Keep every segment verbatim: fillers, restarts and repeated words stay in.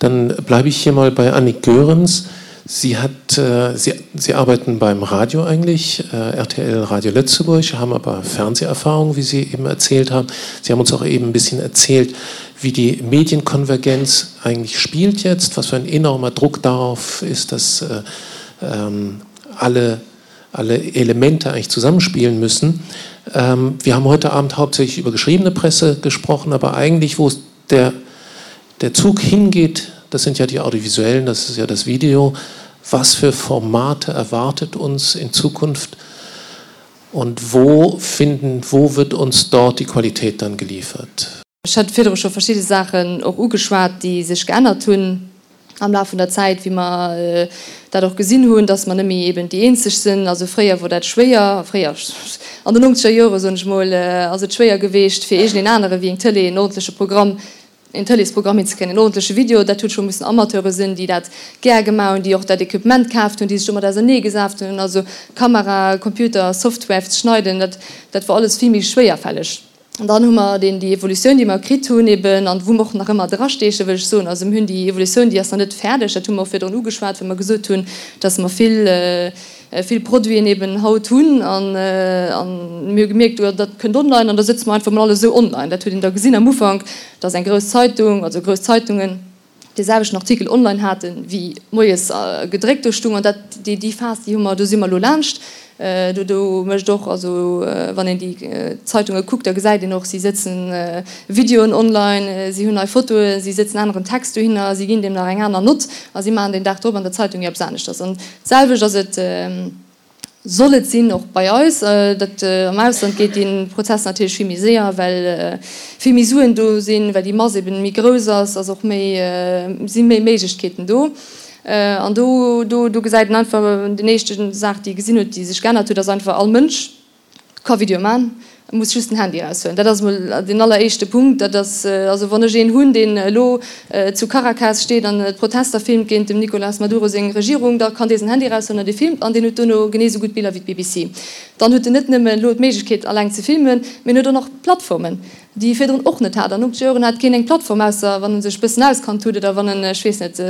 Dann bleibe ich hier mal bei Annik Goerens. Sie hat, äh, Sie, Sie arbeiten beim Radio eigentlich, äh, R T L Radio Lëtzebuerg, haben aber Fernseherfahrung, wie Sie eben erzählt haben. Sie haben uns auch eben ein bisschen erzählt, wie die Medienkonvergenz eigentlich spielt jetzt, was für ein enormer Druck darauf ist, dass äh, ähm, alle, alle Elemente eigentlich zusammenspielen müssen. Ähm, wir haben heute Abend hauptsächlich über geschriebene Presse gesprochen, aber eigentlich, wo es der, der Zug hingeht, das sind ja die audiovisuellen, das ist ja das Video. Was für Formate erwartet uns in Zukunft und wo finden, wo wird uns dort die Qualität dann geliefert? Ech hat virdru scho verschidde Saachen och ugeschwat, déi sech geännert hunn am Laf vun der Zäit, wéi mer äh, dat och gesinn hunn, dass mer net méi eben déi eenzeg sinn. Also fréier wor dat schwéier, fréier an den nonzeger Jore soen ech mol, äh, ass et schwéier gewiescht fir iergendeen anere wéi eng Tëlee en ordentleche Programm, en Tëleesprogramm hinzekréien, en ordentleche Video. Dat huet scho mussen Amateure sinn, déi dat gär gemaach hunn, déi och dat Equipement kaaft hunn, déi sech domat auserneegesat hunn, also Kamera, Computer, Software fir ze schneiden, dat dat wor alles vill méi schwéierfälleg. An dann hu mer deen, déi Evolutioun, déi mer kritt hunn eben an wou mer och nach ëmmer drasteechen, wëll ech soen. Also mir hunn déi Evolutioun, déi ass nach net fäerdeg, dat hu mer och virdrun ugeschwat, wou mer gesot hunn, dass mer vill, vill Produiten eben haut hunn an, an mir hu gemierkt, jo dat kënnt online an da sëtze mer einfach mol alles esou online. Dat huet een da gesinn am Ufank, dass eng grouss Zeitung, also grouss Zeitungen, dee selwechten Artikel online haten, wéi moies gedréckt do stung. An dat, déi, déi Phas, déi hu mer, do si mer elo laanscht. Do, do mécht och, also wann een déi Zeitunge kuckt, da gesäit een och, si sëtzen Videoen online, si hunn nei Fotoen, si sëtzen aneren Text dohinner, si ginn deem nach eng aner Nott a si maachen deen Dag drop an der Zeitung eppes aneschters. An d'selwecht ass et, soll et sinn, och bei eis. Dat am Ausland geet dee Prozess natierlech vill méi séier, well vill méi Suen do sinn, well déi Mass eben méi grouss ass, ass och méi, si méi Méiglechkeeten do. An do, do, do gesäit een einfach, déi éischte Saach, déi ee gesinn huet, déi sech geännert huet, ass einfach, all Mënsch ka Videoe man, e muss just den Handy eraushuelen. Dat ass emol deen alleréischte Punkt. Dat ass, also wann ech een hunn, deen elo zu Caracas steet an d'Protester filmt géint dem Nicolas Maduro seng Regierung, da kann dee säin Handy eraushuelen an dee filmt an deen huet duerno genee esou gutt Biller wéi d'B B C. Dann huet en net nëmmen elo d'Méiglechkeet alleng ze filmen, mee en huet och nach Plattformen, déi e virdrun och net hat. An nonzeger Joren hat keen eng Plattform, ausser wann e sech e bëssen auskannt huet oder wann en, ech weess net,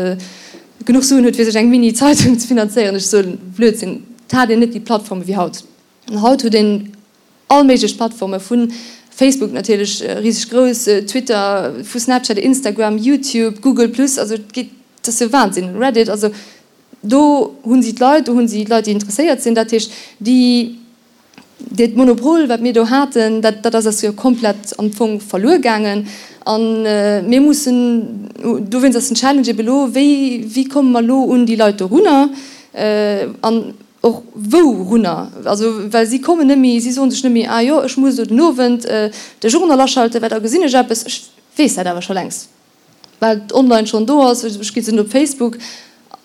genuch Suen huet fir sech eng Mini-Zeitung ze finanzéieren, ech soen Blödsinn. Et hat een net déi Plattforme wéi haut. An haut huet een all méiglech Plattforme, vu Facebook natierlech riseg grouss, Twitter, vu Snapchat, Instagram, YouTube, Google Plus, also et geet, dat ass jo Wahnsinn, Reddit, also do hu si d'Leit, do hu si d'Leit, déi interesséiert sinn. Dat heescht, déi, dat Monopol, wat mir do haten, dat, dat ass eis jo komplett am Fong verluer gaangen. An mir mussen, dowéinst ass den Challenge ebe lo, wéi, wéi komme mer elo un déi Leit dorunner an och wou runner? Also well si kommen net méi, si soen sech net méi, ah jo, ech muss elo den Owend de Journal aschalten, well da gesinn ech eppes, ech weess dat awer scho längst, well et online schonn do ass, ech gi sinn op Facebook.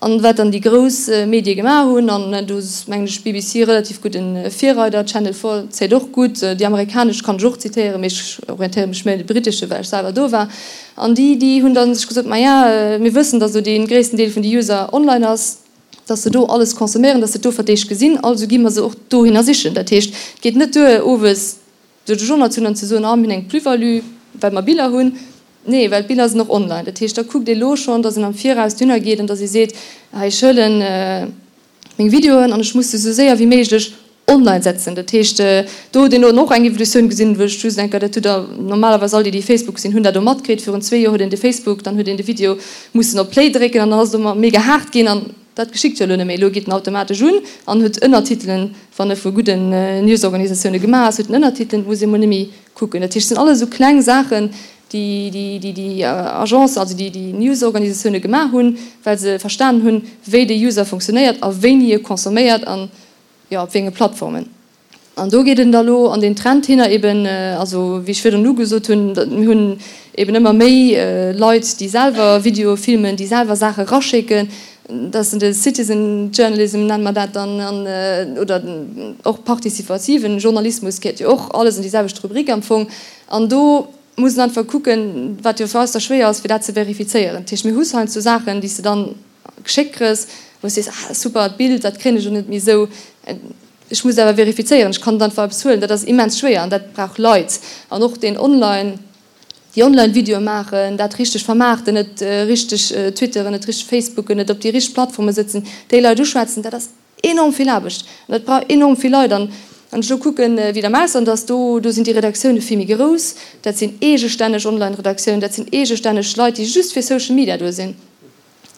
An wat dann déi grouss Medie gemaach hunn, an do ass mengen ech B B C relativ gudde Virreider, Channel Four zéit och gutt, déi amerikanesch kann ech och zitéieren, mee ech orientéiere mech méi un de britesche well ech selwer do war, an déi déi hunn dann sech gesot, maja mir wëssen, datt elo dee gréissten Deel vun de User online ass, datt se do alles consomméieren, datt se et do fir d'éischt gesinn, also gi mer se och dohinner sichen. Dat heescht, et geet net duer owes de Journal ze hunn an ze soen, ah mir hunn eng Plus-value well mer Biller hunn. Nee, well d'Biller sinn och online. Dat heescht, da kuckt ee lo schonn, datt een am Viraus dohinner geet an datt ee seet, hei ech huelen meng Videoen an ech muss se esou séier wéi méiglech online setzen. Dat heescht, do huet een elo och eng Evolutioun gesinn, wou ech just denken, dat hutt Der normalerweis all déi, déi Facebook sinn, hunn dat do matkritt. Virun zwee Joer huet een de Facebook, dann huet een de Video mussen op Play drécken an dann ass et ëmmer mega haart ginn an dat geschitt jo elo net méi. Elo geet en automatesch un an huet Ënnertitelen, wann e vu gudden Newsorganisatioune gemaach ass, huet en Ënnertitelen, et muss ee mol net méi kucken. Dat heescht, et sinn alles esou kleng Saachen, déi déi déi déi Agencen, also déi déi Newsorganisatioune gemaach hunn, well se verstanen hunn, wéi de User funktionéiert a wéini e consomméiert an, jo, op wéi enge Plattformen. An do geet en da lo an deen Trend hinner eben, also wéi ech virdrun ugesot hunn, mir hunn eben ëmmer méi Leit, déi selwer Videoe filmen, déi selwer Saache raschécken, dat ass de Citizen Journalism nenne mer dat dann, an oder och participativen Journalismus gehéiert jo och alles an déi selwecht Rubrik am Fong. An do muss een einfach kucken, wat jo fir eis da schwéier ass, fir dat ze verifizéieren. Dat heescht, mir hu heiansdo Saachen, déi s de dann geschéckt kriss, wou s de sees, ah super, d'Bild, dat kréien ech elo net méi esou, ech muss awer verifizéieren, ech kann net einfach eppes huelen. Dat ass immens schwéier an dat brauch Leit. An och deen online Déi Online-Videoe maachen, dat richteg vermaarten, et richteg twitteren, et richteg facebooken, et op déi richteg Plattforme sëtzen, déi Leit uschwätzen, dat ass enorm vill Aarbecht an dat brauch enorm vill Leit. An wann ech elo kucken, wéi et am Ausland ass, do do sinn déi Redaktioune vill méi grouss, dat sinn eegestänneg Online-Redaktiounen, dat sinn eegestänneg Leit, déi just fir Social Media do sinn.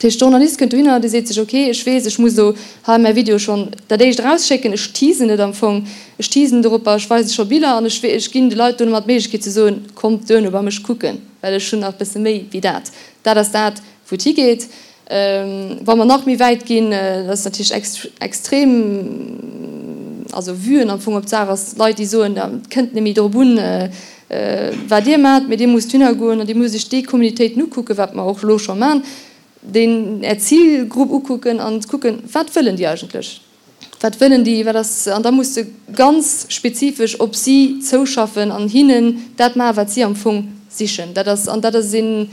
Dat heescht, de Journalist kënnt dohinner, dee seet sech, ok, ech weess, ech muss elo hei mäi Video schonn dat éischt erausschécken, ech teasen et am Fong, ech teasen doropper, ech weise scho Biller an ech ech ginn de Leit domat d'Méiglechkeet ze soen, kommt duerno bei mech kucken, well ech hunn nach e bësse méi wéi dat. Dat ass dat, wou et higeet. Wa mer nach méi wäit ginn, dat ass natierlech extrem, also Vuen am Fong op d'Saach ass, Leit, déi soen, et kënnt net méi drop un, wat Dir maacht, mee Dir musst dohinner goen an Dir musst Iech déi Communautéiten ukucken, wat mer och elo scho maachen, deen Är Zilgrupp ukucken an kucken, wat wëllen déi eigentlech, wat wëllen déi, wat ass, an da muss de ganz spezifesch op si zouschaffen an hinnen dat maachen, wat si am Fong sichen. Dat ass, an dat ass een,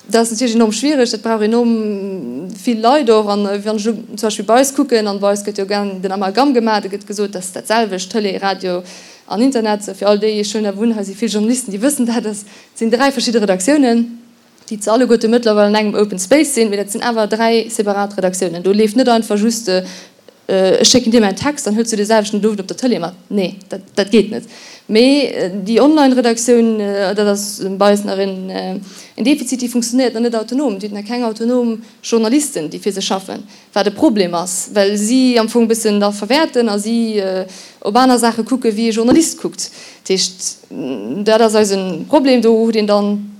dat ass natierlech enorm schwiereg, dat brauch enorm vill Leit och. An wann ech elo zum Beispill bei eis kucken, an bei eis gëtt jo gären den Amalgam gemaach, do gëtt gesot, dat ass dat selwecht, Tëlee, Radio an Internet, fir all déi, ech huelen awer un, hei si vill Journalisten, déi wëssen dat, dat sinn dräi verschidde Redaktiounen. déi ze alleguerte mëttlerweil an engem Open Space sinn, mee dat sinn awer dräi separat Redaktiounen. Do leeft net einfach just, ech schécken dir mäin Text, dann hëls du dee selwechten den Owend op der Tëlee mat. Nee, dat, dat geet net. Mee déi Online-Redaktioun, dat ass bei eis nach en, en Defizit, déi funktionéiert nach net autonom. Déi huet nach keng autonom Journalisten, déi fir se schaffen, wat e Problem ass, well si am Fong e bëssen da verwäerten a si op aner Saache kucke wéi e Journalist kuckt. Dat heescht, dat ass eise Problem. Do huet een dann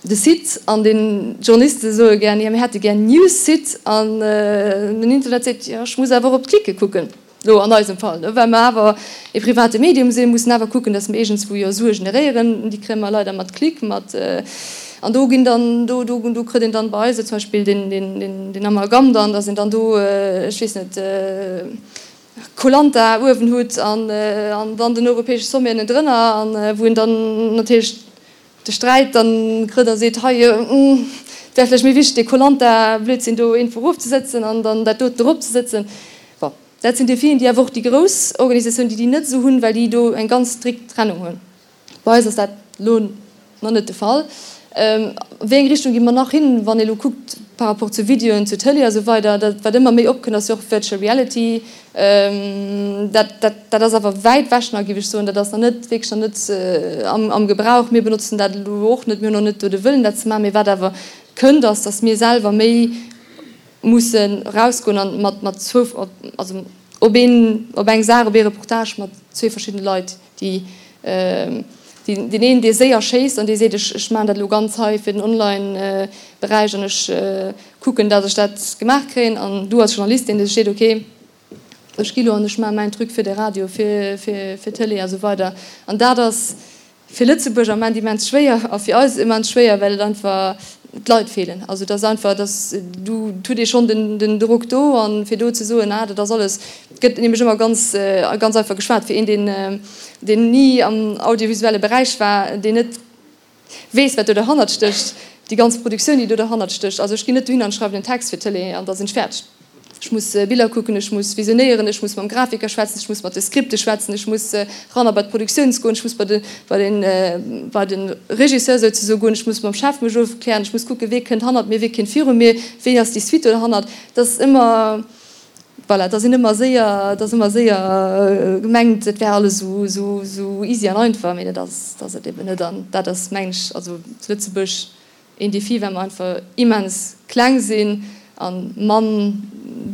de Site an den Journaliste soe gär, jo mir hätte gär en News-Site an den Internet seet, jo ech muss awer och op d'Klicke kucken, elo an eisem Fall, well mer awer e private Medium sinn, mussen awer kucken, datt mer iergendswou jo Sue generéieren, déi kréie mer leider mat Klick, mat an do ginn dann, do do do kritt een dann bei eis zum Beispill den den den Amalgam dann, datt een dann do, ech weess net, Koh-Lanta uewen hutt an an dann den europäesche Sommet ënnendrënner an wou een dann natierlech de Sträit dann kritt a seet, hei, et wär vläicht méi wichteg, dee Koh-Lanta-Blödsinn do iergendwou erofzesëtzen an dann dat doten eropzesëtzen. Bon, dat sinn Defien, déi awer och déi grouss Organisatiounen, déi déi net esou hunn, well déi do eng ganz strikt Trennung hunn. Bei eis ass dat elo nach net de Fall. A wéi eng Richtung gi mer nach hin, wann ee elo kuckt par rapport zu Videoen, zu Tëlee a sou weider, dat wat ëmmer méi opkënnt, ass jo och Virtual Reality. Dat, dat, dat ass awer wäit ewech nach, géif ech soen. Dat ass nach net, wierklech nach net am, am Gebrauch. Mir benotzen dat elo och net, mir hunn och net do de Wëllen, dat ze maachen. Mee wat awer kënnt, ass, datt mir selwer méi mussen erausgoen an mat, mat zwou, also op een, op eng Saach, op ee Reportage mat zwee verschiddene Leit, déi, deen een, dee séier schéisst an dee seet, ech, ech maachen dat elo ganz hei fir den Online-Beräich an ech kucken, datt ech dat gemaach kréien, an du als Journalist, deen sech seet, okay, ech gi lo an ech maache mäin Truc fir de Radio, fir, fir, fir d'Tëlee a sou weider. An dat ass fir Lëtzebuerg am Ament immens schwéier a fir eis immens schwéier, well et einfach d'Leit feelen. Also et ass einfach, dass du, et huet ee schonn den, den Drock do an fir do ze soen, ah dat ass alles, et gëtt nämlech ëmmer ganz, ganz einfach geschwat fir een, deen, deen ni am audiovisuelle Beräich war, deen net weess, wat do derhannert stécht, déi ganz Produktioun, déi do derhannert stécht. Also ech ginn net dohin an schreiwen en Text fir d'Tëlee an da sinn ech fäerdeg. Ech muss Biller kucken, ech muss visionéieren, ech muss mam Grafiker schwätzen, ech muss mat de Skripte schwätzen, ech muss eran a bei d'Produktiouns goen, ech muss bei de, bei den, bei de Regisseur souzesoe goen, ech muss mam Chef mech ofklären, ech muss kucken, wee kënnt hannert mir, wee kënnt viru mir, wéi ass déi Suite do derhannert. Dat ass ëmmer, voilà, da sinn ëmmer séier, da ass ëmmer séier gemengt, et wär alles esou, esou, esou easy an einfach, mee dat ass, dat ass et eben net. An dat ass, mengen ech, also zu Lëtzebuerg een Défi, well mer einfach immens kleng sinn a mann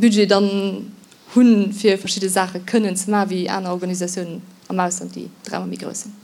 Budget dann hunn, fir verschidde Saache kënnen ze maachen, wéi aner Organisatiounen am Ausland, déi dräimol méi grouss sinn.